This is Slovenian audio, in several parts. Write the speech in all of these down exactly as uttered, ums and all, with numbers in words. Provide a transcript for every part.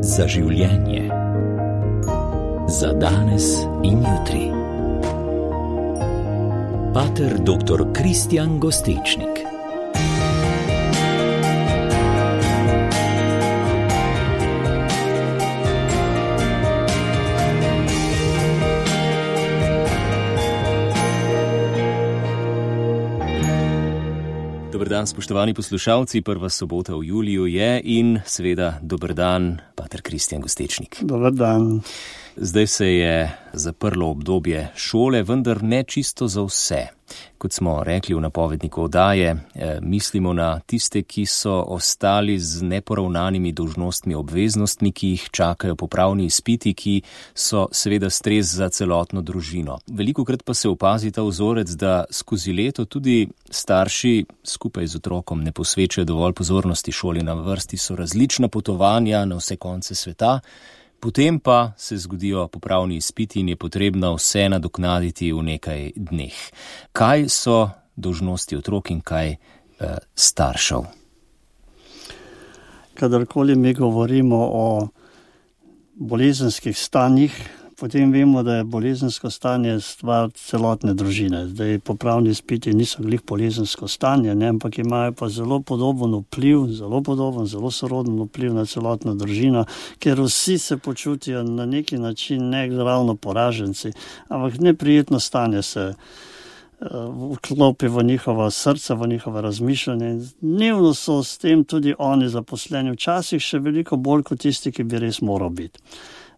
Za življenje. Za danes in jutri. Pater doktor Kristjan Gostečnik. Dober dan, spoštovani poslušalci, prva sobota v juliju je in seveda dober dan, pater Kristjan Gostečnik. Dober dan. Zdaj se je zaprlo obdobje šole, vendar ne čisto za vse. Kot smo rekli v napovedniku oddaje, eh, mislimo na tiste, ki so ostali z neporavnanimi dolžnostmi, obveznostmi, ki jih čakajo popravni izpiti, ki so seveda stres za celotno družino. Velikokrat pa se opazi ta vzorec, da skozi leto tudi starši skupaj z otrokom ne posvečajo dovolj pozornosti šoli. Na vrsti so različna potovanja na vse konce sveta, potem pa se zgodijo popravni izpiti in je potrebno vse nadoknaditi v nekaj dneh. Kaj so dolžnosti otrok in kaj eh, staršev? Kadarkoli mi govorimo o bolezenskih stanjih, potem vemo, da je bolezensko stanje stvar celotne družine. Zdaj, popravni izpiti niso glih bolezensko stanje, ne, ampak imajo pa zelo podoben vpliv, zelo podoben, zelo soroden vpliv na celotno družino, ker vsi se počutijo na neki način ne ravno poraženci, ampak neprijetno stanje se vklopi v njihova srca, v njihova razmišljanja. Dnevno so s tem tudi oni zaposleni, včasih še veliko bolj kot tisti, ki bi res moral biti.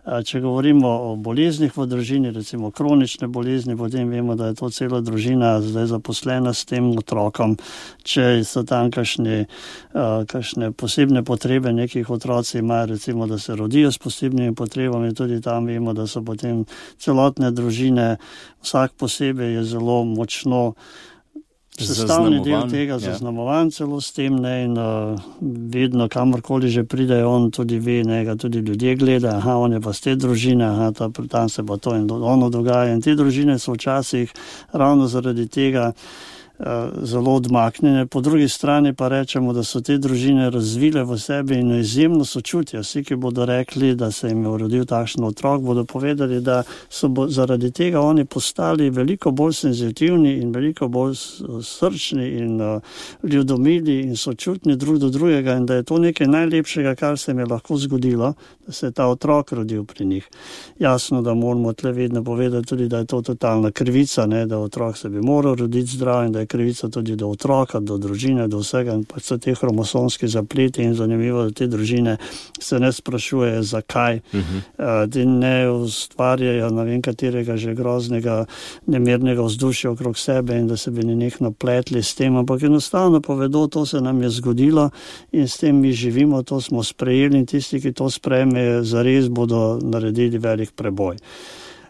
Če govorimo o boleznih v družini, recimo kronične bolezni, potem vemo, da je to cela družina zdaj zaposlena s tem otrokom. Če so tam kakšne, kakšne posebne potrebe, nekih otroci imajo, recimo, da se rodijo s posebnimi potrebami, tudi tam vemo, da so potem celotne družine, vsak posebej je zelo močno sestavni del tega, zaznamovan celo s tem, ne, in uh, vedno, kamorkoli že pride, on tudi ve, ne, ga tudi ljudje gleda, aha, on je pa z te družine, aha, ta, tam se pa to in ono dogaja. In te družine so včasih ravno zaradi tega zelo odmaknjene. Po drugi strani pa rečemo, da so te družine razvile v sebi in izjemno sočutje. Vsi, ki bodo rekli, da se jim je rodil takšen otrok, bodo povedali, da so bo, zaradi tega oni postali veliko bolj senzitivni in veliko bolj srčni in uh, ljudomili in sočutni drug do drugega in da je to nekaj najlepšega, kar se jim je lahko zgodilo, da se je ta otrok rodil pri njih. Jasno, da moramo tle vedno povedati tudi, da je to totalna krivica, ne, da otrok se bi moral roditi zdrav in da je krivica tudi do otroka, do družine, do vsega in pač so te hromosomski zapleti in zanimivo, da te družine se ne sprašujejo, zakaj, uh-huh. uh, ne ustvarjajo ne vem katerega že groznega nemernega vzdušja okrog sebe in da se bi nenehno pletli s tem, ampak enostavno povedo, to se nam je zgodilo in s tem mi živimo, to smo sprejeli in tisti, ki to sprejmejo, zares bodo naredili velik preboj.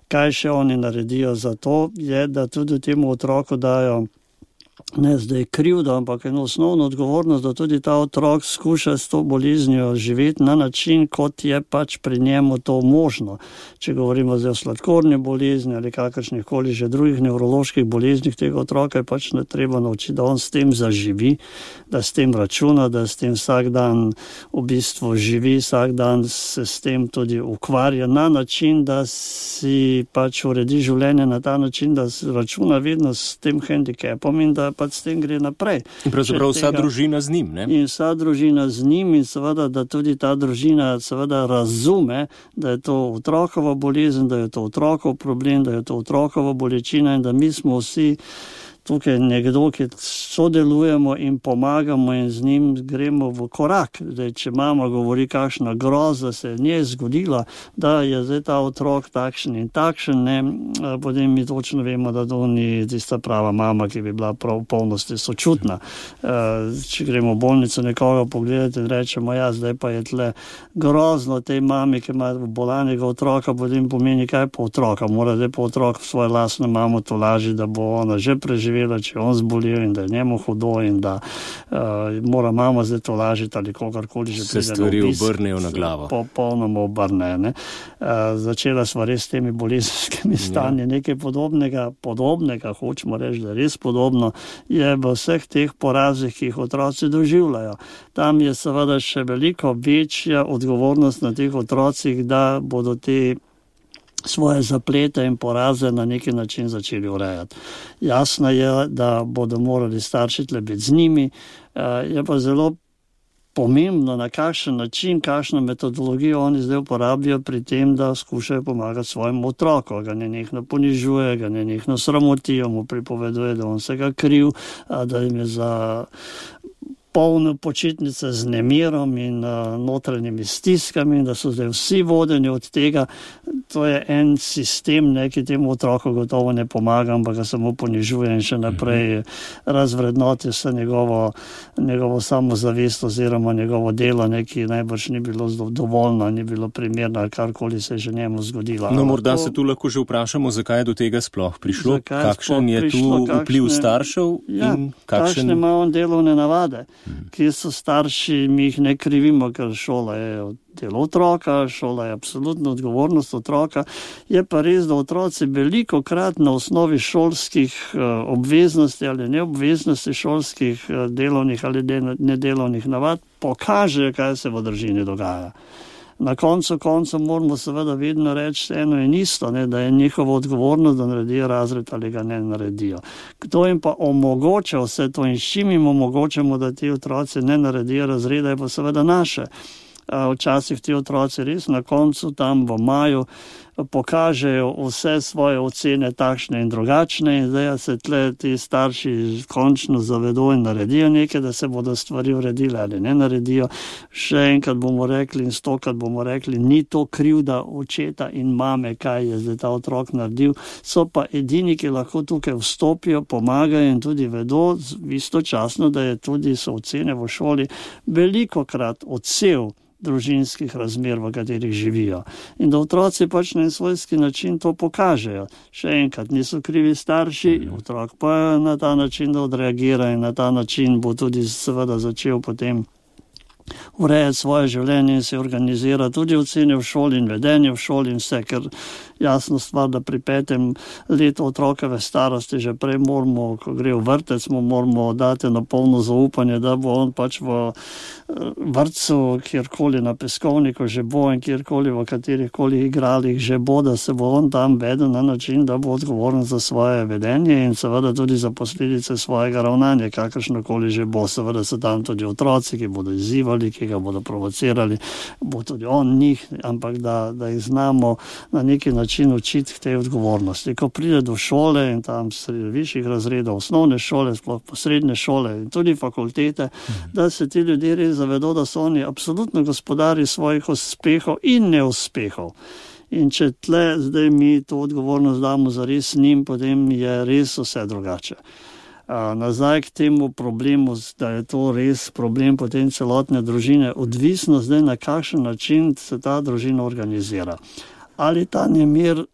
Kaj še oni naredijo za to, je, da tudi temu otroku dajo ne zdaj krivdo, ampak eno osnovno odgovornost, da tudi ta otrok skuša s to boleznijo živeti na način, kot je pač pri njemu to možno. Če govorimo zdaj o sladkorni bolezni ali kakršnih koli že drugih nevroloških boleznih tega otroka, je pač ne treba naučiti, da on s tem zaživi, da s tem računa, da s tem vsak dan v bistvu živi, vsak dan se s tem tudi ukvarja na način, da si pač uredi življenje na ta način, da računa vedno s tem hendikepom in da pač s tem gre naprej. In pravzaprav vsa tega, družina z njim, ne? In vsa družina z njim in seveda, da tudi ta družina seveda razume, da je to otrokova bolezen, da je to otrokov problem, da je to otrokova bolečina in da mi smo vsi tukaj nekdo, ki sodelujemo in pomagamo in z njim gremo v korak. Zdaj, če mama govori, kakšna groza se je njej zgodila, da je zdaj ta otrok takšen in takšen, ne, potem mi točno vemo, da to ni tista prava mama, ki bi bila prav v polnosti sočutna. Če gremo v bolnico nekoga pogledati in rečemo, ja, zdaj pa je tle grozno tej mami, ki ima bolanega otroka, potem pomeni kaj po otroka. Mora zdaj po otrok svojo lastno mamo tolažiti, da bo ona že preživela preživela, če on zbolel in da je njemu hudo in da uh, mora mama zdaj to lažiti ali kogarkoli že pride. Se stvari obrnejo na glavo. Popolnoma obrne. Ne? Uh, začela sva res s temi bolezenskimi stanji. Nekaj podobnega, podobnega, hočemo reči, da je res podobno, je v vseh teh porazih, ki jih otroci doživljajo. Tam je seveda še veliko večja odgovornost na teh otrocih, da bodo te svoje zaplete in poraze na neki način začeli urejati. Jasno je, da bodo morali starši tle biti z njimi, je pa zelo pomembno, na kakšen način, kakšno metodologijo oni zdaj uporabijo pri tem, da skušajo pomagati svojemu otroku, ga nenehno ponižuje, ga nenehno sramotijo, mu pripoveduje, da on se ga kriv, da jim je za polno počitnice z nemirom in uh, notranjimi stiskami, da so zdaj vsi vodeni od tega. To je en sistem, ne, ki temu otroku gotovo ne pomaga, ampak ga samo ponižuje in še naprej razvrednoti vse njegovo, njegovo samozavest oziroma njegovo delo, neki najbrž ni bilo dovoljno, ni bilo primerno ali karkoli se je že njemu zgodilo. No, morda to, se tu lahko že vprašamo, zakaj je do tega sploh prišlo, kakšen je prišlo, tu kakšne, vpliv staršev ja, in kakšen... kakšne ima on delovne navade. Kje so starši, mi jih ne krivimo, ker šola je delo otroka, šola je absolutno odgovornost otroka. Je pa res, da otroci veliko krat na osnovi šolskih obveznosti ali neobveznosti šolskih delovnih ali nedelovnih navad pokažejo, kaj se v družini dogaja. Na koncu konca moramo seveda vedno reči eno in isto, ne, da je njihovo odgovornost, da naredijo razred ali ga ne naredijo. Kdo jim pa omogoča vse to in s čim jim omogočamo, da ti otroci ne naredijo razreda, je pa seveda naše. Včasih ti otroci res na koncu tam v maju pokažejo vse svoje ocene takšne in drugačne in zdaj se tle ti starši končno zavedo in naredijo nekaj, da se bodo stvari uredile ali ne naredijo. Še enkrat bomo rekli in stokrat bomo rekli, ni to krivda očeta in mame, kaj je zdaj ta otrok naredil, so pa edini, ki lahko tukaj vstopijo, pomagajo in tudi vedo istočasno, da je tudi so ocene v šoli veliko krat odsev družinskih razmer, v katerih živijo. In da otroci pač na svojski način to pokažejo. Še enkrat, niso krivi starši, otrok pa na ta način, da odreagira in na ta način bo tudi seveda začel potem urejati svoje življenje in se organizira tudi ocene v šoli in vedenje v šoli in vse, ker jasno stvar, da pri petem letu otrokove starosti že prej moramo, ko gre v vrtec, mu moramo dati na polno zaupanje, da bo on pač v vrtcu, kjerkoli na peskovniku že bo in kjerkoli v katerihkoli igralih že bo, da se bo on tam vedel na način, da bo odgovoren za svoje vedenje in seveda tudi za posledice svojega ravnanja, kakršnokoli že bo. Seveda so tam tudi otroci, ki bodo izzivali, ki ga bodo provocirali, bo tudi on njih, ampak da, da jih znamo na neki način učiti k tej odgovornosti. Ko pride do šole in tam višjih razredov, osnovne šole, sploh srednje šole in tudi fakultete, mhm. da se ti ljudje res zavedo, da so oni absolutno gospodari svojih uspehov in neuspehov. In če tle zdaj mi to odgovornost damo zares njim, potem je res vse drugače. Uh, nazaj k temu problemu, da je to res problem potem celotne družine, odvisno zdaj na kakšen način se ta družina organizira. Ali ta nemir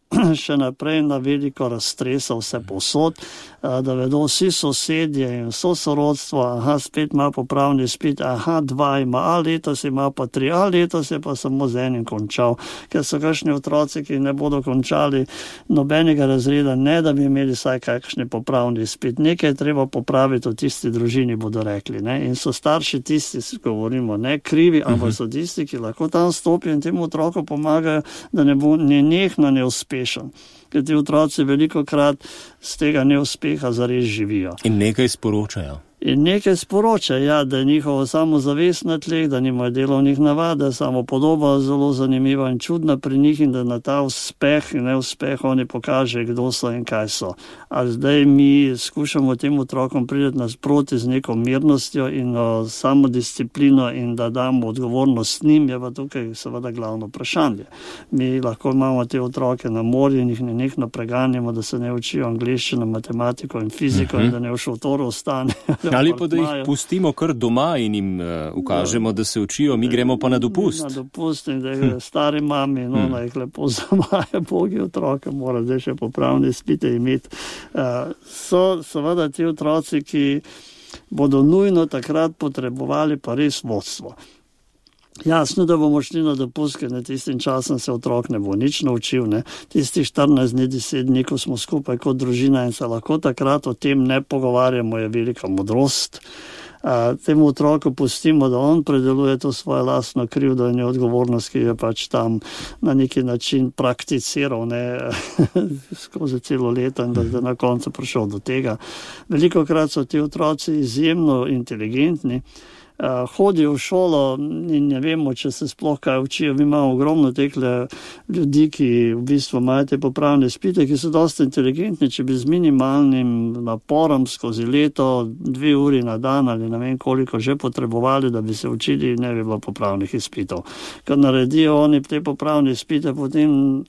še naprej na veliko raztresa vse posod, da vedo vsi sosedje in vso sorodstvo, aha, spet ima popravni izpit, aha, dva ima, a letos ima pa tri, a letos je pa samo z enim končal, ker so kakšni otroci, ki ne bodo končali nobenega razreda, ne da bi imeli vsaj kakšni popravni izpit. Nekaj je treba popraviti v tisti družini, bodo rekli, ne, in so starši tisti, govorimo, ne krivi, ampak so tisti, ki lahko tam stopijo in temu otroku pomagajo, da ne bo nenehno neuspešen. Ker ti otroci veliko krat z tega neuspeha zares živijo. In nekaj sporočajo. In nekaj sporoča, ja, da je njihovo samozavest na tleh, da nimajo delovnih navad, da je samopodoba zelo zanimiva in čudna pri njih in da na ta uspeh in neuspeh oni pokaže, kdo so in kaj so. A zdaj mi skušamo tem otrokom priti nasproti z neko mirnostjo in o, samodisciplino in da damo odgovornost njim, je pa tukaj seveda glavno vprašanje. Mi lahko imamo te otroke na morju in jih nenehno preganjamo, da se ne učijo angleščino, matematiko in fiziko uh-huh. in da ne v šotoru ostane Ali pa da jih pustimo kar doma in jim uh, ukažemo, da se učijo, mi gremo pa na dopust. Na dopust in da je stari mami, no, hmm. da jih lepo zamaje, bogi otroke, mora zdaj še popravne izpite imeti. Uh, so seveda ti otroci, ki bodo nujno takrat potrebovali pa res vodstvo. Jasno, da bomo šli na dopust, ker na tistim časom se otrok ne bo nič naučil. Ne. Tisti štirinajst dni, deset dni, ko smo skupaj kot družina in se lahko takrat o tem ne pogovarjamo, je velika modrost. A, temu otroku pustimo, da on predeluje to svojo lastno krivdo in odgovornost, ki je pač tam na neki način prakticiral ne, skozi celo leto in da je na koncu prišel do tega. Veliko krat so ti otroci izjemno inteligentni. Uh, hodijo v šolo in ne vemo, če se sploh kaj učijo. Mi imamo ogromno tekle ljudi, ki v bistvu imajo te popravne izpite, ki so dosti inteligentni, če bi z minimalnim naporom skozi leto, dve uri na dan ali ne vem koliko že potrebovali, da bi se učili, ne bi bilo popravnih izpitov. Kad naredijo oni te popravne izpite, potem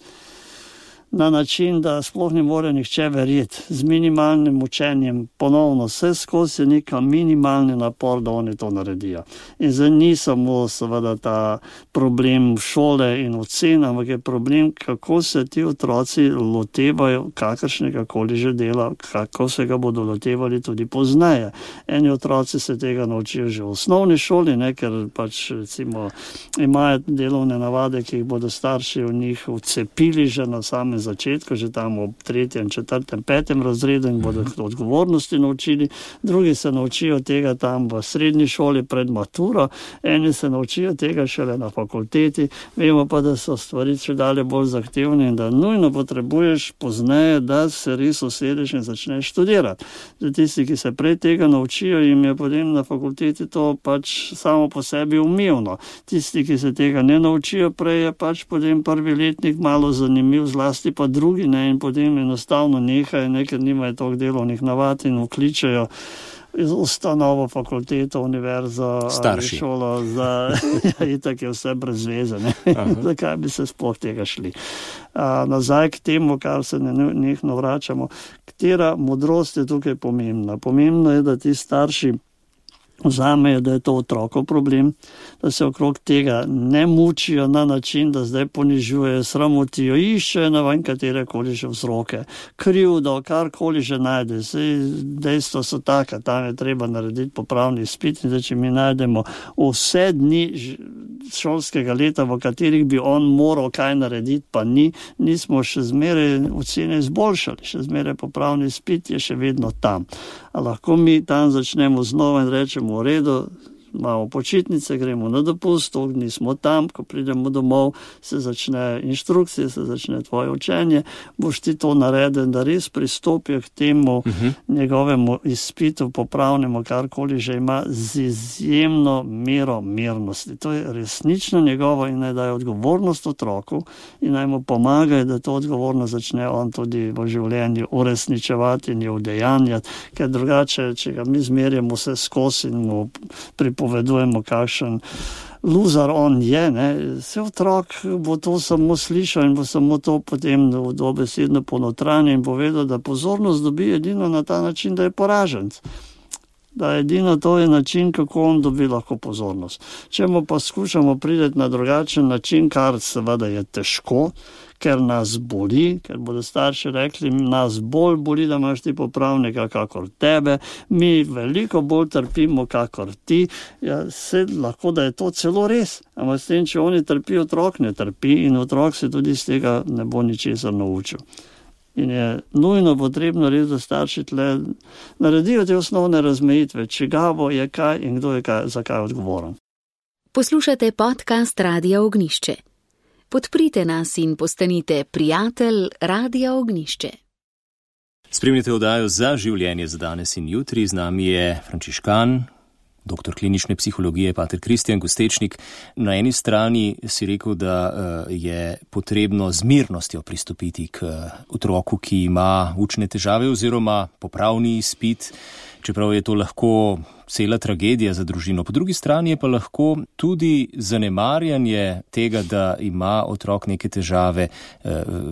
na način, da sploh ne more nihče verjeti. Z minimalnim učenjem ponovno vse skozi neka minimalni napor, da oni to naredijo. In zdaj ni samo seveda ta problem šole in ocen, ampak je problem, kako se ti otroci lotevajo kakršnega koli že dela, kako se ga bodo lotevali tudi pozneje. Eni otroci se tega naučijo že v osnovni šoli, ne, ker pač recimo imajo delovne navade, ki jih bodo starši v njih vcepili že na samem začetku, že tam ob tretjem, četrtem, petem razredu in bodo odgovornosti naučili. Drugi se naučijo tega tam v srednji šoli pred maturo, eni se naučijo tega šele na fakulteti. Vemo pa, da so stvari še dalje bolj zahtevne in da nujno potrebuješ pozneje, da se res usedeš in začneš študirati. Za tisti, ki se prej tega naučijo, jim je potem na fakulteti to pač samo po sebi umevno. Tisti, ki se tega ne naučijo prej, je pač potem prvi letnik malo zanimiv, zlasti pa drugi, ne, in potem enostavno nehajo, ne, ker nimajo toliko delovnih navad in vkličajo ustanovo, fakulteto, univerzo, starši. Ali šolo, za, ja, itak je vse brez veze, ne. Zakaj bi se sploh tega šli. A, nazaj k temu, kar se nenehno vračamo, katera modrost je tukaj pomembna. Pomembno je, da ti starši vzamejo, da je to otrokov problem, da se okrog tega ne mučijo na način, da zdaj ponižujejo, sramotijo, iščejo na vem katere koli že vzroke, krivdo, karkoli že najde. Dejstva so taka, tam je treba narediti popravni izpit in da če mi najdemo vse dni šolskega leta, v katerih bi on moral kaj narediti, pa ni, nismo še zmeraj ocene izboljšali, še zmeraj popravni izpit je še vedno tam. A lahko mi tam začnemo znova in rečemo v redu, imamo počitnice, gremo na dopust, toliko dni smo tam, ko pridemo domov, se začne inštrukcije, se začne tvoje učenje, boš ti to naredil, da res pristopijo k temu uh-huh. njegovemu izpitu, popravnemu, karkoli že ima, z izjemno mero mirnosti. To je resnično njegovo in naj daje odgovornost otroku in naj mu pomagajo, da to odgovornost začne on tudi v življenju uresničevati in jo udejanjati, ker drugače, če ga mi zmerjamo vse skozi in mu pripovedujemo, kakšen luzar on je, ne, se otrok bo to samo slišal in bo samo to potem dobesedno ponotranje in bo vedel, da pozornost dobi edino na ta način, da je poraženc. Da edino to je način, kako on dobi lahko pozornost. Če mu pa skušamo priti na drugačen način, kar seveda je težko, ker nas boli, ker bodo starši rekli, nas bolj boli, da imaš ti popravnika kakor tebe, mi veliko bolj trpimo kakor ti, ja, se lahko, da je to celo res, ampak s tem, če oni trpijo, otrok ne trpi in otrok se tudi z tega ne bo ničesar naučil. In je nujno potrebno res, da starši tle naredijo te osnovne razmejitve, čigavo je kaj in kdo je kaj, za kaj odgovoren. Poslušate podcast Radia Ognjišče. Podprite nas in postanite prijatelj Radia Ognjišče. Spremljate oddajo Za življenje za danes in jutri. Z nami je frančiškan, doktor klinične psihologije, pater Kristjan Gustečnik. Na eni strani si rekel, da je potrebno z mirnostjo pristopiti k otroku, ki ima učne težave oziroma popravni izpit, čeprav je to lahko cela tragedija za družino. Po drugi strani je pa lahko tudi zanemarjanje tega, da ima otrok neke težave,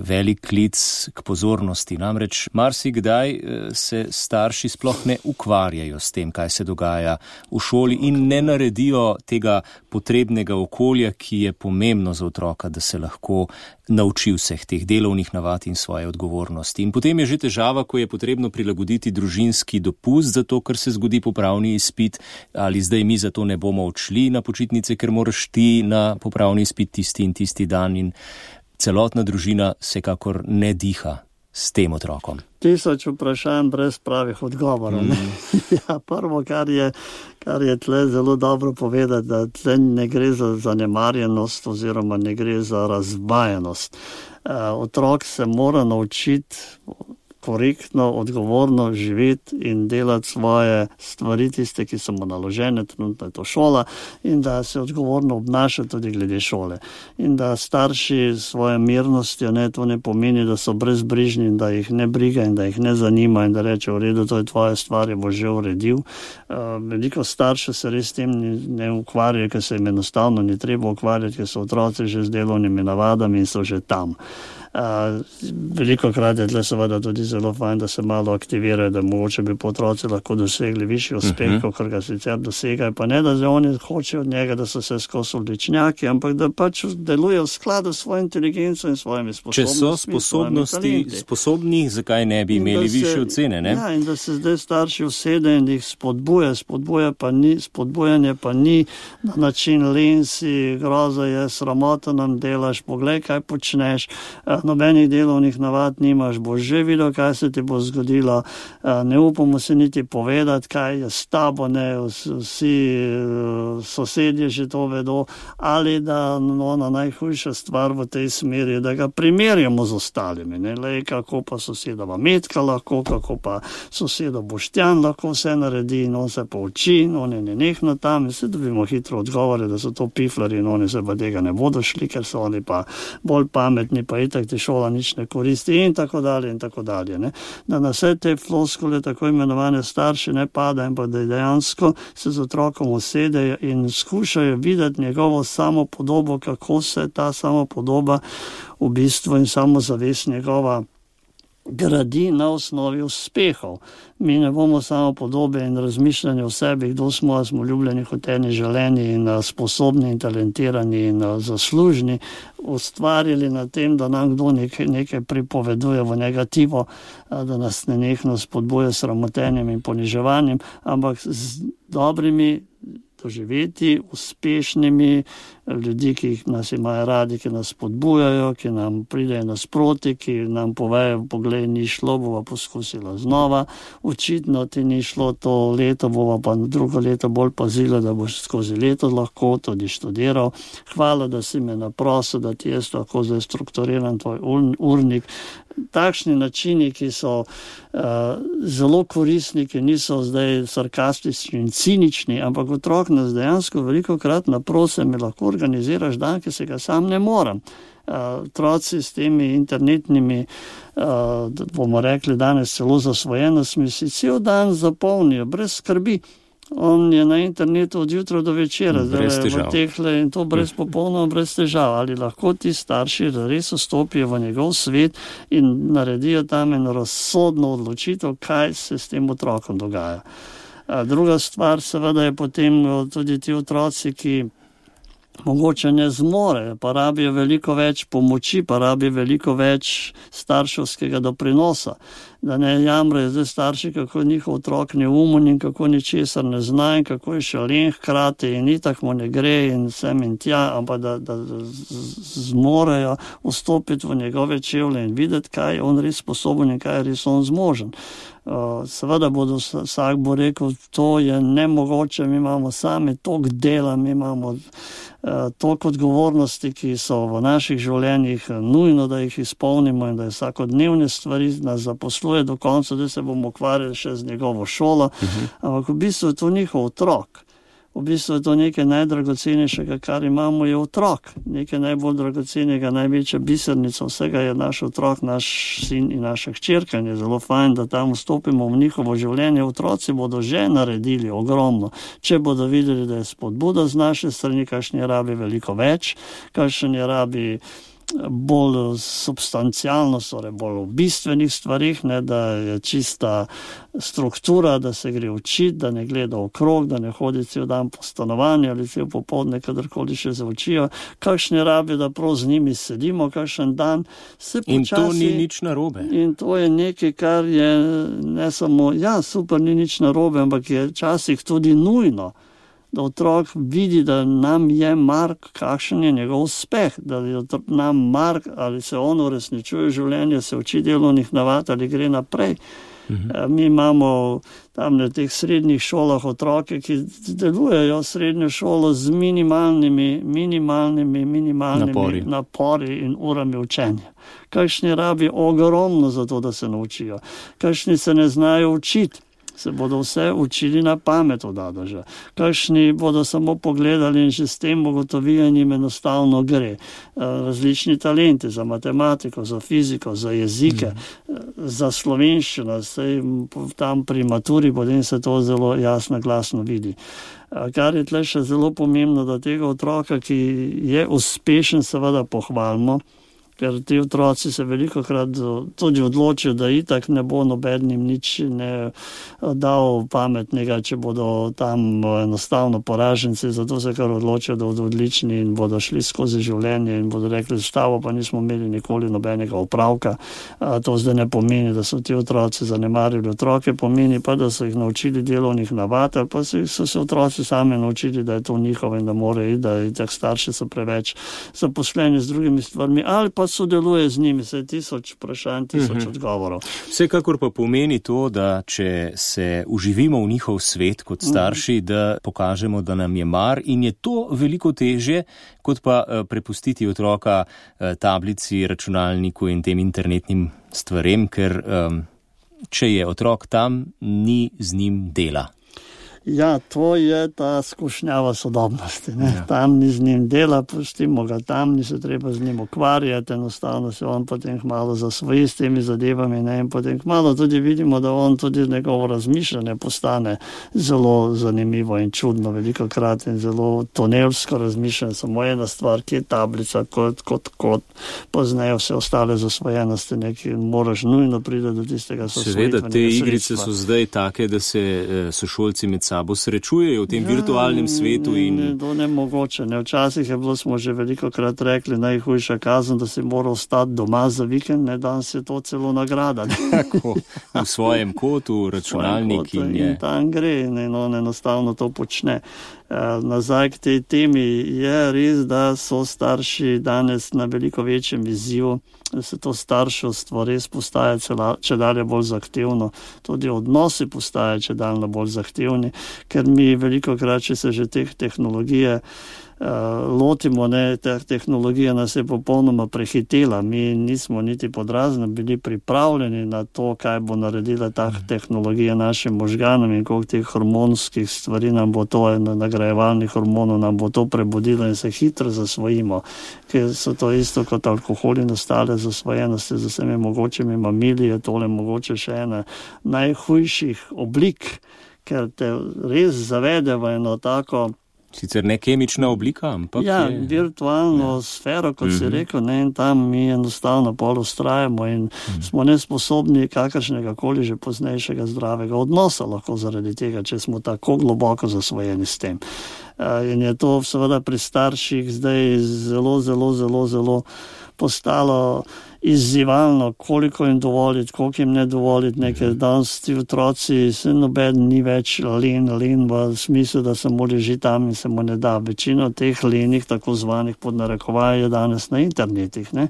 velik klic k pozornosti. Namreč marsikdaj se starši sploh ne ukvarjajo s tem, kaj se dogaja v šoli in ne naredijo tega potrebnega okolja, ki je pomembno za otroka, da se lahko nauči vseh teh delovnih navad in svoje odgovornosti. In potem je že težava, ko je potrebno prilagoditi družinski dopust, zato ker se zgodi popravni izpit, ali zdaj mi zato ne bomo odšli na počitnice, ker moraš ti na popravni izpit tisti in tisti dan, in celotna družina vsekakor ne diha s tem otrokom. Tisoč vprašanj brez pravih odgovorov. Mm. Ja, prvo, kar je, kar je tle zelo dobro povedati, da tle ne gre za zanemarjenost oziroma ne gre za razvajenost. Uh, otrok se mora naučiti korektno, odgovorno živeti in delati svoje stvari, tiste, ki so mu naložene, trenutno je to šola, in da se odgovorno obnaša tudi glede šole. In da starši svoje mirnostjo, ne, to ne pomeni, da so brezbrižni in da jih ne briga in da jih ne zanima in da reče, v redu, to je tvoja stvar, je bo že uredil. Uh, veliko staršev se res tem ne ukvarja, ker se jim enostavno ni treba ukvarjati, ker so otroci že z delovnimi navadami in so že tam. Uh, veliko krat je tle seveda tudi zelo fajn, da se malo aktivirajo, da mogoče bi po otroci lahko dosegli višji uspeh, uh-huh. kot ga sicer dosegajo, pa ne, da že oni hočejo od njega, da so se skozi odličnjaki, ampak da pač deluje v skladu s svojo inteligenco in svojimi sposobnostmi. Če so sposobnosti sposobni, zakaj ne bi imeli više ocene, ne? Ja, in da se zdaj starši usede in jih spodbuja, spodbuja pa ni, spodbujanje pa ni na način lensi, groza je, sramota nam delaš, poglej, kaj počneš, nobenih delovnih navad nimaš, boš že videl, kaj se ti bo zgodilo, ne upamo se niti povedati, kaj je s tabo, ne, vsi sosedje že to vedo, ali da ona najhujša stvar v tej smeri, da ga primerjamo z ostalimi, ne, lej, kako pa sosedova Metka lahko, kako pa soseda Boštjan lahko vse naredi in on se pa uči in on je nenehno tam in se dobimo hitro odgovore, da so to piflari in oni se pa tega ne bodo šli, ker so oni pa bolj pametni, pa itak ti šola nič ne koristi in tako dalje in tako dalje. Ne. Da na vse te floskule, tako imenovane starši, ne pada in pa da dejansko se z otrokom usedejo in skušajo videti njegovo samopodobo, kako se ta samopodoba v bistvu in samozavest njegova gradi na osnovi uspehov. Mi ne bomo samo podobe in razmišljanje o sebi, kdo smo, a smo ljubljeni, hoteni, želeni in sposobni in talentirani in zaslužni, ustvarili na tem, da nam kdo nekaj, nekaj pripoveduje v negativo, da nas nenehno spodbuja s sramotenjem in poniževanjem, ampak z dobrimi doživeti, uspešnimi ljudi, ki nas imajo radi, ki nas spodbujajo, ki nam pridejo nasproti, ki nam povejo, poglej, ni šlo, bova poskusila znova, očitno ti ni šlo to leto, bova pa drugo leto bolj pazila, da boš skozi leto lahko tudi študiral. Hvala, da si me naprosil, da ti jaz lahko zdaj strukturiram tvoj urnik. Takšni načini, ki so uh, zelo koristni, ki niso zdaj sarkastični in cinični, ampak otrok nas dejansko veliko krat naprose, mi lahko organiziraš dan, ki se ga sam ne morem. Uh, otroci s temi internetnimi, uh, bomo rekli danes celo zasvojenostmi, si cel dan zapolnijo, brez skrbi. On je na internetu od jutra do večera, zdaj v tehle in to brez popolnoma brez težav. Ali lahko ti starši res vstopijo v njegov svet in naredijo tam eno razsodno odločitev, kaj se s tem otrokom dogaja. A druga stvar seveda je potem tudi ti otroci, ki mogoče ne zmore, pa rabijo veliko več pomoči, pa rabijo veliko več starševskega doprinosa. Da ne jamrejo zdaj starši, kako njihov otrok neumen in kako ničesar ne zna in kako je šalen hkrati in itak mu ne gre in sem in tja, ampak da, da zmorejo vstopiti v njegove čevlje in videti, kaj je on res sposoben in kaj je res on zmožen. Seveda bodo, vsak bo rekel, to je nemogoče, mi imamo sami toliko dela, mi imamo toliko odgovornosti, ki so v naših življenjih nujno, da jih izpolnimo in da je vsakodnevne stvari nas zaposluje do konca, da se bomo ukvarjali še z njegovo šolo, uh-huh. ampak v bistvu je to njihov otrok. v bistvu je to nekaj najdragocenejšega, kar imamo, je otrok. Nekaj najbolj dragocenega, največja bisernica vsega je naš otrok, naš sin in naša hčerka. Je zelo fajn, da tam vstopimo v njihovo življenje. Otroci bodo že naredili ogromno. Če bodo videli, da je spodbuda z naše strani, kakšen je rabi veliko več, kakšen je rabi bolj substancialno, torej bolj v bistvenih stvarih, ne, da je čista struktura, da se gre učiti, da ne gleda okrog, da ne hodi cel dan po stanovanju ali cel popoldne, kadarkoli še se učijo, kakšne rabi, da prav z njimi sedimo, kakšen dan se počasi. In to ni nič narobe. In to je nekaj, kar je ne samo, ja, super, ni nič narobe, ampak je včasih tudi nujno, da otrok vidi, da nam je mar, kakšen je njegov uspeh, da je nam mar, ali se on uresničuje življenje, se uči delovnih navad ali gre naprej. Mhm. Mi imamo tam na teh srednjih šolah otroke, ki delujejo srednjo šolo z minimalnimi, minimalnimi, minimalnimi napori, napori in urami učenja. Kakšni rabi ogromno za to, da se naučijo. Kakšni se ne znajo učiti. Se bodo vse učili na pamet od Adaža. Kakšni bodo samo pogledali in že s tem ugotovijo, jim enostavno gre. Različni talenti za matematiko, za fiziko, za jezike, mm. za slovenščino, sej tam pri maturi potem se to zelo jasno, glasno vidi. Kar je tle še zelo pomembno, da tega otroka, ki je uspešen, seveda pohvalimo, ker ti otroci se veliko krat tudi odločijo, da itak ne bo nobenim nič ne dal pametnega, če bodo tam enostavno poraženci, zato se kar odločijo, da bodo odlični in bodo šli skozi življenje in bodo rekli, s tabo pa nismo imeli nikoli nobenega opravka. To zdaj ne pomeni, da so ti otroci zanemarili otroke, pomeni pa, da so jih naučili delovnih navad, ali pa so se otroci sami naučili, da je to njihovo in da morajo iti, da itak starši so preveč zaposleni z drugimi stvarmi, ali pa sodeluje z njimi, se je tisoč vprašanj, tisoč mm-hmm. odgovorov. Vsekakor pa pomeni to, da če se uživimo v njihov svet kot starši, mm-hmm. da pokažemo, da nam je mar in je to veliko težje, kot pa prepustiti otroka tablici, računalniku in tem internetnim stvarem, ker um, če je otrok tam, ni z njim dela. Ja, to je ta skušnjava sodobnosti. Ne? Ja. Tam ni z njim dela, pustimo ga tam, ni se treba z njim ukvarjati, enostavno se on potem malo zasvoji s temi zadevami, ne? In potem malo tudi vidimo, da on tudi njegovo razmišljanje postane zelo zanimivo in čudno veliko krat in zelo tunelsko razmišljanje, samo ena stvar, ki je tablica, kot, kot, kot poznajo vse ostale zasvojenosti, neki moraš nujno priti do tistega sosvojitvenega sredstva. Seveda, te igrice so zdaj take, da se sošolci med sabo srečujejo v tem ja, virtualnem svetu. In... Ne, to ne mogoče. Ne. Včasih je bilo, smo že veliko krat rekli, najhujša kazen, da si moral ostati doma za vikend, ne, danes je to celo nagrada. Tako, v svojem kotu, računalnik kotu, in je. In tam gre in on enostavno to počne. Nazaj k tej temi je res, da so starši danes na veliko večjem izzivu, da se to starševstvo res postaje če dalje bolj zahtevno, tudi odnosi postaje če dalje bolj zahtevni, ker mi veliko krat, če se že teh tehnologije lotimo, ne, ta tehnologija nas je popolnoma prehitela. Mi nismo niti podrazno bili pripravljeni na to, kaj bo naredila ta tehnologija našim možganom in koliko teh hormonskih stvari nam bo to, nagrajevalnih hormonov nam bo to prebudilo in se hitro zasvojimo, ker so to isto kot alkohol in ostale zasvojenosti z vsemi mogočimi mamili, je tole mogoče še ena najhujših oblik, ker te res zavede v eno tako sicer ne kemična oblika, ampak ja, je... virtualno ja. sfero, kot mm-hmm. si rekel, ne, in tam mi enostavno pol ustrajamo in mm-hmm. smo nesposobni kakršnega koli že poznejšega zdravega odnosa lahko zaradi tega, če smo tako globoko zasvojeni s tem. In je to seveda pri starših zdaj zelo, zelo, zelo, zelo postalo izzivalno, koliko jim dovoliti, koliko jim ne dovoliti, nekaj danes ti otroci, se noben ni več len, len v smislu, da samo leži tam in se mu ne da. Večino teh lenih, tako zvanih pod narekovaj, je danes na internetih, ne?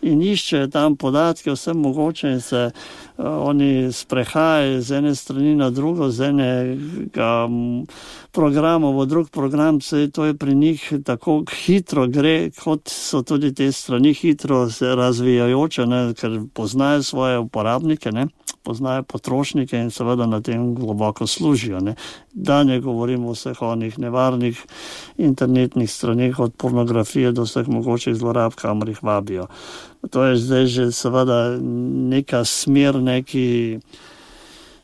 In iščejo tam podatke, vse mogoče in se uh, oni sprehajajo z ene strani na drugo, z enega programa v drug program, se to je pri njih tako hitro gre, kot so tudi te strani hitro se razvijajo omogoča, ne, ker poznajo svoje uporabnike, ne, poznajo potrošnike in seveda na tem globoko služijo. Ne. Da ne govorimo o vseh onih nevarnih internetnih straneh, od pornografije do vseh mogočih zlorab, kamor jih vabijo. To je zdaj že seveda neka smer, neki,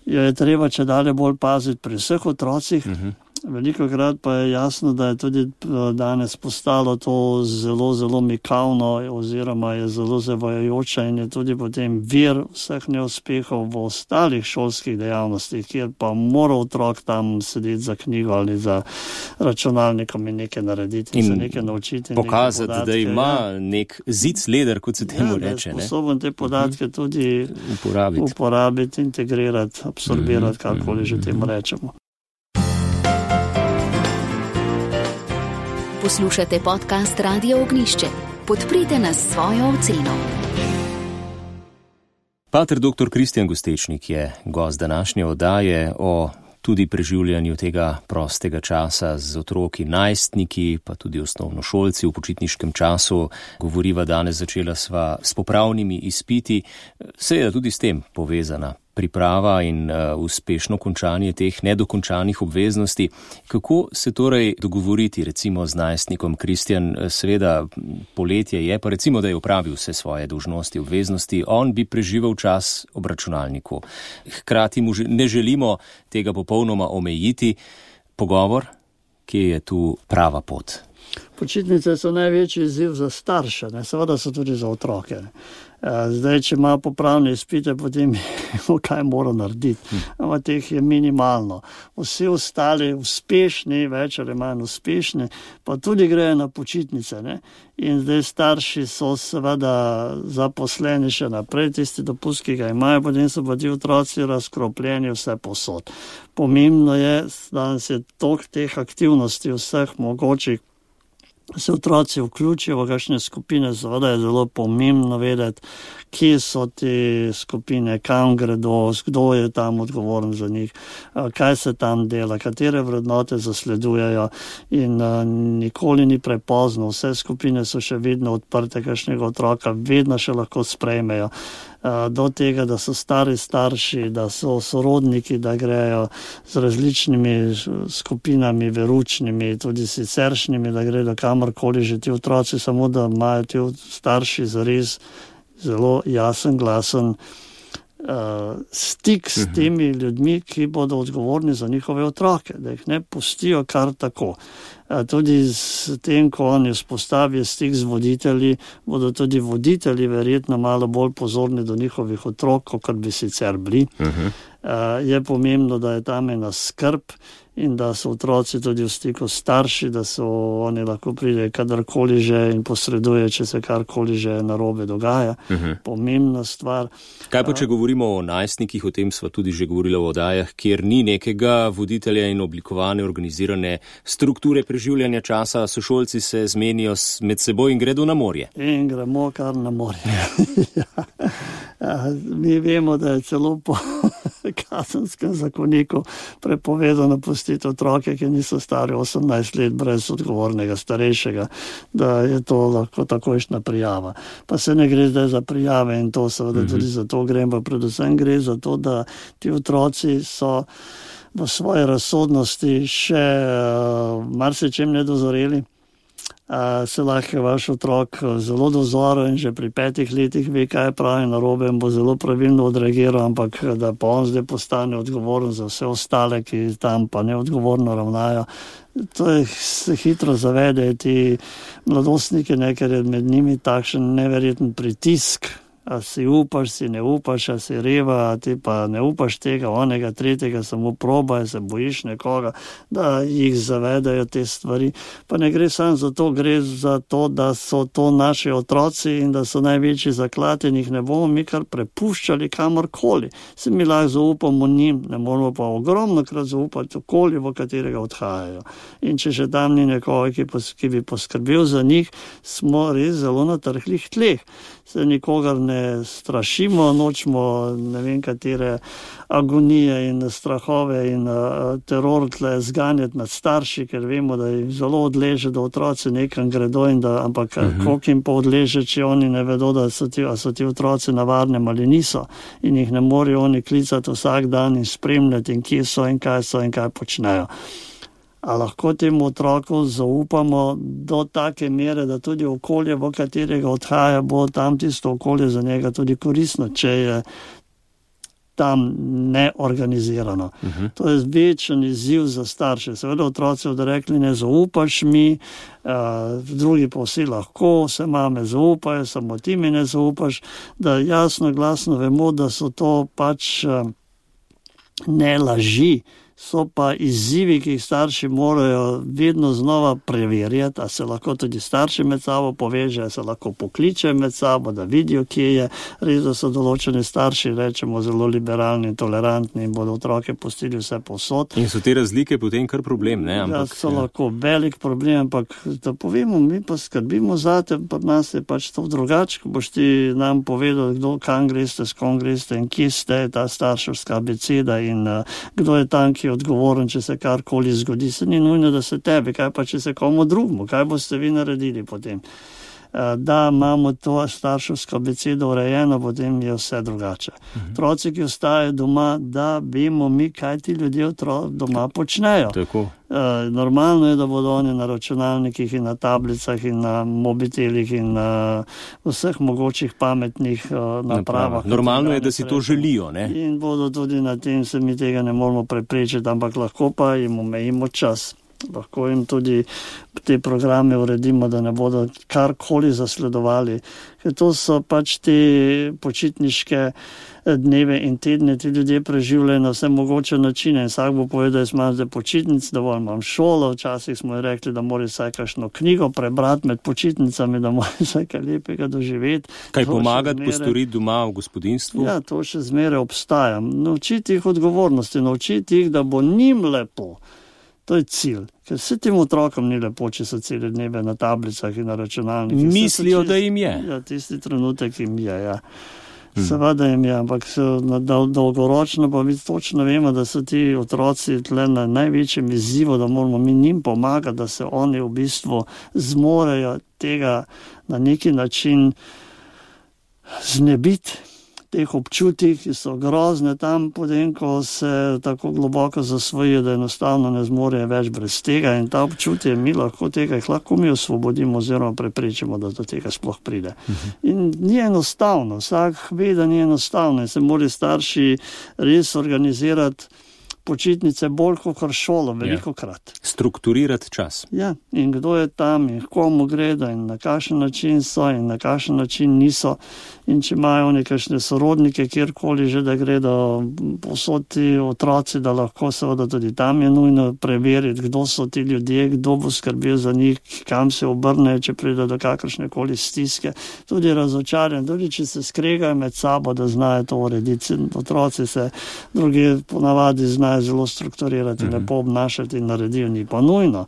jo je treba če dalje bolj paziti pri vseh otrocih. Uh-huh. Veliko krat pa je jasno, da je tudi danes postalo to zelo, zelo mikavno oziroma je zelo zavajajoče in je tudi potem vir vseh neuspehov v ostalih šolskih dejavnostih, kjer pa mora otrok tam sedeti za knjigo ali za računalnikom in nekaj narediti in, in se nekaj naučiti. Pokazati, podatke, da ima ja. nek zic leder, kot se temu ja, reče. Ja, sposoben te podatke uh-huh. tudi uporabiti. uporabiti, integrirati, absorbirati, uh-huh. kakoli že temu rečemo. Poslušate podcast Radio Ognišče. Podprite nas s svojo oceno. Pater doktor Kristjan Gostečnik je gost današnje oddaje o tudi preživljanju tega prostega časa z otroki, najstniki, pa tudi osnovnošolci v počitniškem času. Govoriva danes, začela sva s popravnimi izpiti, seveda tudi s tem povezana priprava in uh, uspešno končanje teh nedokončanih obveznosti. Kako se torej dogovoriti recimo z najstnikom? Kristjan, seveda poletje je, pa recimo, da je opravil vse svoje dolžnosti, obveznosti, on bi preživel čas ob računalniku. Hkrati mu ne želimo tega popolnoma omejiti. Pogovor, kje je tu prava pot? Počitnice so največji izziv za starše, ne? Seveda so tudi za otroke. Ne? Zdaj, če ima popravne izpite, potem kaj mora narediti. Ampak teh je minimalno. Vsi ostali uspešni, več ali manj uspešni, pa tudi grejo na počitnice. Ne? In zdaj starši so seveda zaposleni še naprej, tisti dopust, ki ga imajo, potem so pa ti otroci razkropljeni vse posod. Pomembno je, da se tok teh aktivnosti vseh mogočih se otroci vključijo v kakšne skupine, seveda je zelo pomembno vedeti, kje so te skupine, kam gredo, kdo je tam odgovoren za njih, kaj se tam dela, katere vrednote zasledujejo in nikoli ni prepozno. Vse skupine so še vedno odprte, kakšnega otroka vedno še lahko sprejmejo. Do tega, da so stari starši, da so sorodniki, da grejo z različnimi skupinami, veručnimi, tudi siceršnjimi, da gredo kamorkoli že ti otroci, samo da imajo ti starši zares zelo jasen, glasen uh, stik s temi ljudmi, ki bodo odgovorni za njihove otroke, da jih ne pustijo kar tako. Tudi s tem, ko oni vzpostavijo stik z voditelji, bodo tudi voditelji verjetno malo bolj pozorni do njihovih otrok, kot bi sicer bili. Uh-huh. Je pomembno, da je tam ena skrb in da so otroci tudi v stiku starši, da so oni lahko pride kadarkoli že in posreduje, če se karkoli že narobe dogaja. Uh-huh. Pomembna stvar. Kaj pa, če govorimo o najstnikih, o tem sva tudi že govorila v oddajah, kjer ni nekega voditelja in oblikovane, organizirane strukture preživljanja časa, sošolci se zmenijo med seboj in gredo na morje. In gremo kar na morje. ja. Ja, mi vemo, da je celo po kazenskem zakoniku prepovedano pustiti otroke, ki niso stari osemnajst let brez odgovornega starejšega, da je to lahko takojšnja prijava. Pa se ne gre zdaj za prijave in to seveda mm-hmm. tudi za to grem, pa predvsem gre za to, da ti otroci so v svoji razsodnosti še uh, marsičem nedozoreli. Uh, se lahko vaš otrok zelo dozoril in že pri petih letih ve, kaj je pravi narobe in bo zelo pravilno odreagiral, ampak da pa on zdaj postane odgovoren za vse ostale, ki tam pa neodgovorno ravnajo. To je, se hitro zavedajo ti mladostniki, ne, ker je med njimi takšen neverjeten pritisk. A si upaš, si ne upaš, a si reva, a ti pa ne upaš tega, onega, tretjega, samo probaj, se bojiš nekoga, da jih zavedajo te stvari. Pa ne gre samo za to, gre za to, da so to naši otroci in da so največji zaklad in jih ne bomo mi kar prepuščali kamorkoli. Se mi lahko zaupamo njim, ne moramo pa ogromno krat zaupati okolje, v katerega odhajajo. In če še tam ni nekoga, ki, pos, ki bi poskrbel za njih, smo res zelo na trhlih tleh. Se nikogar ne ne strašimo, nočemo ne vem katere agonije in strahove in uh, teror tle zganjati nad starši, ker vemo, da jim zelo odleže, da otroci nekam gredo in da, ampak uh-huh. koliko jim pa odleže, če oni ne vedo, da so ti, so ti otroci na varnem ali niso in jih ne morejo oni klicati vsak dan in spremljati in kje so in kaj so in kaj počnejo. A lahko temu otroku zaupamo do take mere, da tudi okolje, v katerega odhaja, bo tam tisto okolje za njega tudi koristno, če je tam neorganizirano. Uh-huh. To je večen izziv za starše. Seveda otroci bodo rekli, ne zaupaš mi, uh, drugi pa vsi lahko, se mame zaupajo, samo ti mi ne zaupaš, da jasno, glasno vemo, da so to pač uh, ne laži, so pa izzivi, ki jih starši morajo vedno znova preverjati, a se lahko tudi starši med sabo povežejo, se lahko pokličejo med sabo, da vidijo, kje je. Res, da so določeni starši, rečemo, zelo liberalni in tolerantni in bodo otroke pustili vse povsod. In so te razlike potem kar problem, ne? Ampak, ja, so ja. lahko velik problem, ampak da povemo, mi pa skrbimo zate, pa nas je pač to drugače, ko boš ti nam povedal, kdo, kam greste, s kom greste in kje ste, ta starševska abeceda in uh, kdo je tam, ki odgovoren, če se karkoli zgodi. Se ni nujno, da se tebi, kaj pa če se komu drugmu, kaj boste vi naredili potem. Da imamo to starševsko abecedo urejeno, potem je vse drugače. Otroci, ki ostajajo doma, da vemo mi, kaj ti ljudje doma počnejo. Tako. Normalno je, da bodo oni na računalnikih in na tablicah in na mobitelih in na vseh mogočih pametnih napravah. Normalno je, da si to želijo, ne? In bodo tudi na tem, se mi tega ne moramo preprečiti, ampak lahko pa jim omejimo čas. Lahko jim tudi te programe uredimo, da ne bodo karkoli zasledovali. Ker to so pač te počitniške dneve in tedne, ti ljudje preživljajo na vse mogoče načine. In vsak bo povedal, da imam zdaj počitnic, dovolj imam šolo. Včasih smo rekli, da mora vsaj kakšno knjigo prebrati med počitnicami, da mora vsaj kaj lepega doživeti. Kaj pomagati zmere... postoriti doma v gospodinstvu? Ja, to še zmeraj obstaja. Naučiti jih odgovornosti, naučiti jih, da bo njim lepo. To je cilj, ker vse tem otrokom ni lepo, če so cele dneve na tablicah in na računalnikih. Mislijo, da jim je. Ja, tisti trenutek jim je, ja. Hmm. Seveda jim je, ampak dolgoročno pa mi točno vemo, da so ti otroci tle na največjem izzivu, da moramo mi njim pomagati, da se oni v bistvu zmorejo tega na neki način znebiti. Teh občutih, ki so grozne tam, potem, ko se tako globoko zasvojijo, da enostavno ne zmorejo več brez tega in ta občutje mi lahko tega, jih lahko mi osvobodimo oziroma preprečimo, da do tega sploh pride. Uh-huh. In ni enostavno, vsak ve, da ni enostavno in se morajo starši res organizirati počitnice bolj kot šolo, veliko krat. Strukturirati čas. Ja, in kdo je tam in komu gredo in na kakšen način so in na kakšen način niso. In če imajo nekakšne sorodnike, kjerkoli že, da gredo povsod ti otroci, da lahko seveda tudi tam je nujno preveriti, kdo so ti ljudje, kdo bo skrbel za njih, kam se obrnejo, če pride do kakršne koli stiske. Tudi razočarjen, tudi če se skregajo med sabo, da znajo to urediti. Otroci se drugi ponavadi znajo zelo strukturirati, mm-hmm. lepo obnašati in naredijo, ni pa nujno.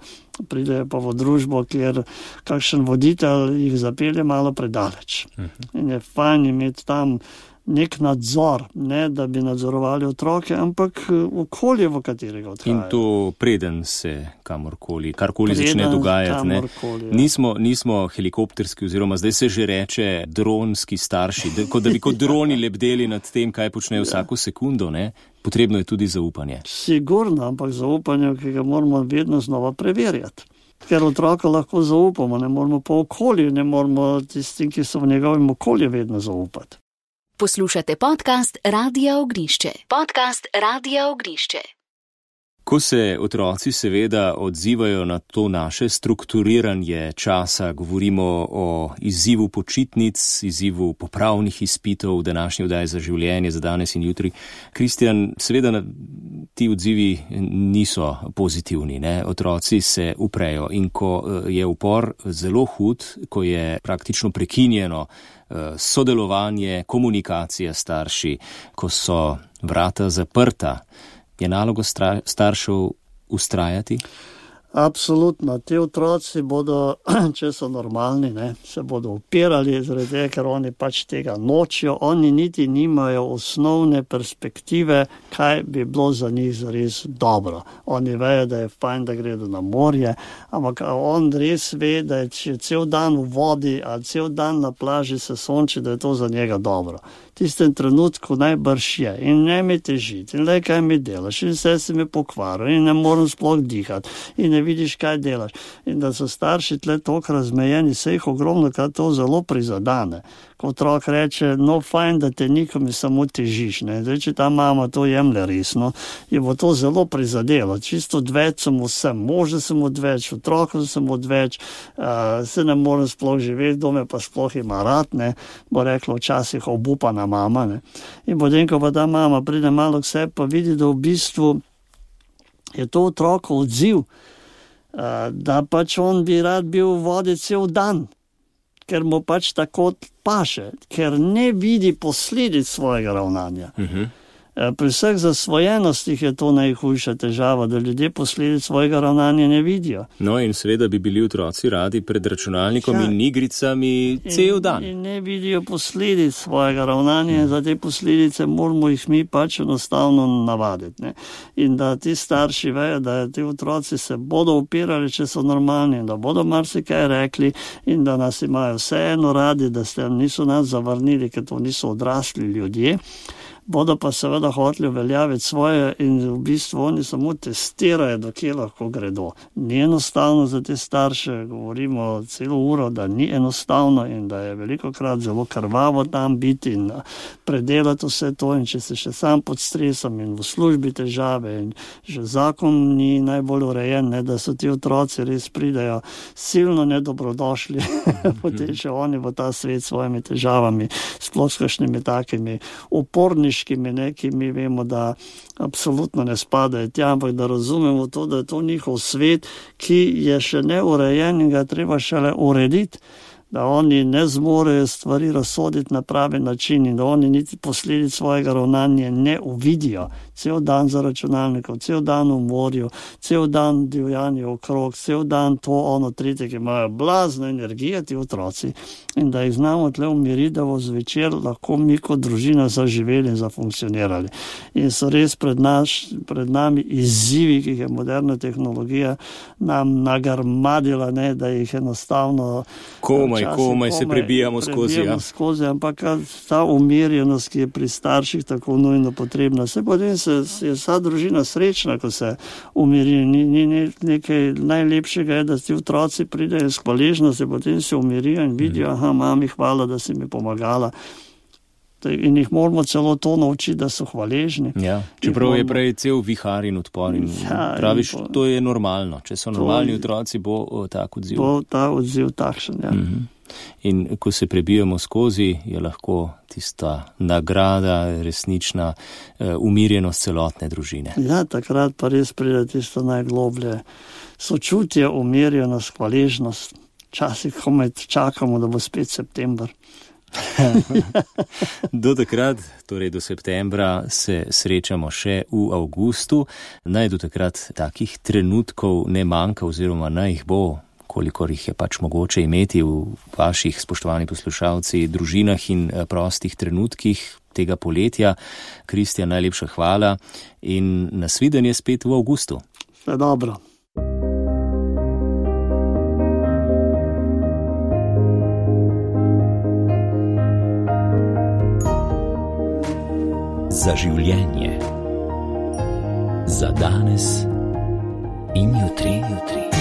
Pridejo pa v družbo, kjer kakšen voditelj jih zapelje malo predaleč. Mm-hmm. In je fajn imeti tam nek nadzor, ne da bi nadzorovali otroke, ampak okolje, v katerega odhajajo. In to preden se kamorkoli, karkoli preden začne dogajati. Ne? Ja. Nismo, nismo helikopterski oziroma zdaj se že reče dronski starši, da, kot da bi kot droni lebdeli nad tem, kaj počnejo ja. vsako sekundo. Ne? Potrebno je tudi zaupanje. Sigurno, ampak zaupanje, ki ga moramo vedno znova preverjati. Ker otroka lahko zaupamo, ne moramo pa okolju, ne moramo tistim, ki so v njegovem okolju vedno zaupati. Poslušate podcast Radia Ognišče. Podcast Radia Ognišče. Ko se otroci seveda odzivajo na to naše strukturiranje časa, govorimo o izzivu počitnic, izzivu popravnih izpitov, današnji oddaji za življenje, za danes in jutri. Kristjan, seveda ti odzivi niso pozitivni, ne? Otroci se uprejo in ko je upor zelo hud, ko je praktično prekinjeno sodelovanje, komunikacija s starši, ko so vrata zaprta, je naloga staršev ustrajati? Absolutno. Ti otroci bodo, če so normalni, ne, se bodo upirali, zaradi tega, ker oni pač tega nočijo. Oni niti nimajo osnovne perspektive, kaj bi bilo za njih zares dobro. Oni vejo, da je fajn, da gredo na morje, ampak on res ve, da je, če cel dan v vodi ali cel dan na plaži se sonči, da je to za njega dobro. V tistem trenutku najbrž je in ne mi težiti in le kaj mi delaš in vse se mi pokvaril in ne morem sploh dihati in ne vidiš, kaj delaš. In da so starši tle toliko razmejeni, se jih ogromno, kaj to zelo prizadane. Ko otrok reče, no fajn, da te nikom samo težiš. Ne? Zdaj, če ta mama to jemlje resno, je bo to zelo prizadelo. Čisto odveč sem vsem, može sem odveč, otrokom sem odveč, uh, se ne morem sploh živeti, dome pa sploh ima rad, ne? Bo rekla včasih obupana mama. Ne? In potem, ko pa ta mama pride malo k sebi, pa vidi, da v bistvu je to otroko odziv, uh, da pač on bi rad bil v vodi cel dan, ker mu pač tako paše, ker ne vidi posledic svojega ravnanja. Uh-huh. Pri vseh zasvojenostih je to najhujša težava, da ljudje posledic svojega ravnanja ne vidijo. No in seveda bi bili otroci radi pred računalnikom ja. in igricami cel dan. In, in ne vidijo posledic svojega ravnanja in za te posledice moramo jih mi pač enostavno navaditi. Ne? In da ti starši vejo, da ti otroci se bodo upirali, če so normalni, in da bodo marsikaj rekli in da nas imajo vseeno radi, da ste niso nas zavrnili, ker to niso odrasli ljudje. Bodo pa seveda hoteli uveljaviti svoje in v bistvu oni samo testirajo, do kje lahko gredo. Ni enostavno za te starše, govorimo celo uro, da ni enostavno in da je velikokrat zelo krvavo tam biti in predelati vse to in če se še sam pod stresom in v službi težave in že zakon ni najbolj urejen, ne, da so ti otroci res pridejo silno nedobrodošli, potem še oni v ta svet s svojimi težavami, sploh s kakšnimi takimi upornimi, ne, ki mi vemo, da absolutno ne spadajo tja, ampak da razumemo to, da je to njihov svet, ki je še neurejen in ga treba šele urediti, da oni ne zmorejo stvari razsoditi na pravi način in da oni niti posledic svojega ravnanja ne uvidijo. Cel dan za računalnikom, cel dan v morju, cel dan divjanje okrog, cel dan to, ono, tretje, ki imajo blazno energijo ti otroci in da jih znamo tle umiriti, da bo zvečer lahko mi kot družina zaživeli in zafunkcionirali. In so res pred, naš, pred nami izzivi, ki jih je moderna tehnologija nam nagrmadila, ne, da jih enostavno komaj, komaj, komaj se prebijamo skozi. Ja. skozi ampak ta umirjenost, ki je pri starših tako nujno potrebna, se potem se, je vsa družina srečna, ko se umiri. Ni, ni, ni nekaj najlepšega je, da ti otroci pridejo s hvaležnostjo, potem se umirijo in vidijo, aha, mami, hvala, da si mi pomagala. In jih moramo celo to naučiti, da so hvaležni. Ja, čeprav moramo... je prej cel vihar in odpor in ja, praviš, in po... to je normalno. Če so normalni je... otroci, bo o, tak odziv. Bo ta odziv takšen, ja. Mm-hmm. In ko se prebijemo skozi, je lahko tista nagrada, resnična uh, umirjenost celotne družine. Ja, takrat pa res pride tisto najgloblje sočutje, umirjenost, hvaležnost. Včasih komaj čakamo, da bo spet september. Do takrat, torej do septembra, se srečamo še v avgustu. Naj do takrat takih trenutkov ne manjka oziroma naj jih bo, kolikor jih je pač mogoče imeti v vaših, spoštovani poslušalci, družinah in prostih trenutkih tega poletja. Kristjan, najlepša hvala in nasvidenje spet v avgustu. Vse dobro. Za življenje. Za danes in jutri, jutri.